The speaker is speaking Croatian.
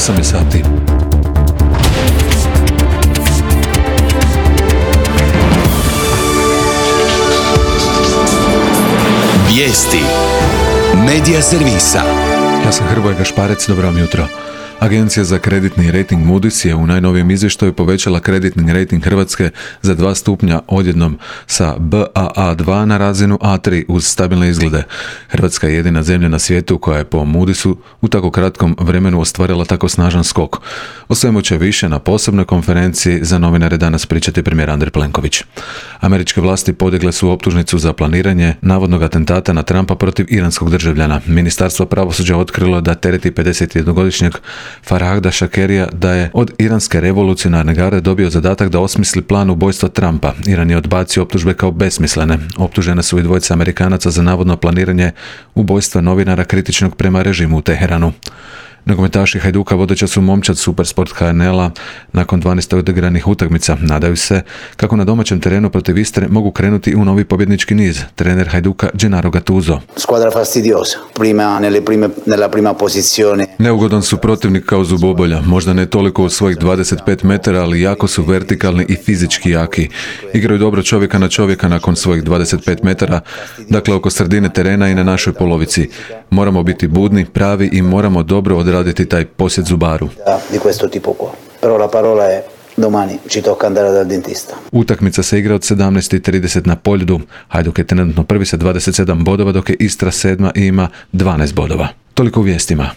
8 je sati. Vijesti Medija servisa. Ja sam Hrvoje Gašparec, dobro vam jutro. Agencija za kreditni rejting Moody's je u najnovijem izvještaju povećala kreditni rejting Hrvatske za 2 stupnja odjednom sa Baa2 na razinu A3 uz stabilne izglede. Hrvatska je jedina zemlja na svijetu koja je po Moody'su u tako kratkom vremenu ostvarila tako snažan skok. O svemu će više na posebnoj konferenciji za novinare danas pričati premijer Andrej Plenković. Američke vlasti podigle su optužnicu za planiranje navodnog atentata na Trumpa protiv iranskog državljana. Ministarstvo pravosuđa otkrilo da tereti 51-godišnjeg Farhada Shakerija da je od iranske revolucionarne garde dobio zadatak da osmisli plan ubojstva Trumpa. Iran je odbacio optužbe kao besmislene. Optužene su i dvojica Amerikanaca za navodno planiranje ubojstva novinara kritičnog prema režimu u Teheranu. Nogometaši Hajduka vodeća su momčad Supersport HNL-a nakon 12 odigranih utakmica. Nadaju se kako na domaćem terenu protiv Istre mogu krenuti u novi pobjednički niz. Trener Hajduka Gennaro Gattuso. Squadra fastidiosa. Nella prima posizione. Neugodan su protivnik kao zubobolja. Možda ne toliko u svojih 25 metara, ali jako su vertikalni i fizički jaki. Igraju dobro čovjeka na čovjeka nakon svojih 25 metara, dakle oko sredine terena i na našoj polovici. Moramo biti budni, pravi i moramo dobro odraditi taj posjet zubaru. Di questo tipo qua. Però la parola è domani ci tocca andare dal dentista. Utakmica se igra od 17:30 na Poljudu. Hajduk je trenutno prvi sa 27 bodova, dok je Istra sedma i ima 12 bodova. Toliko u vijestima.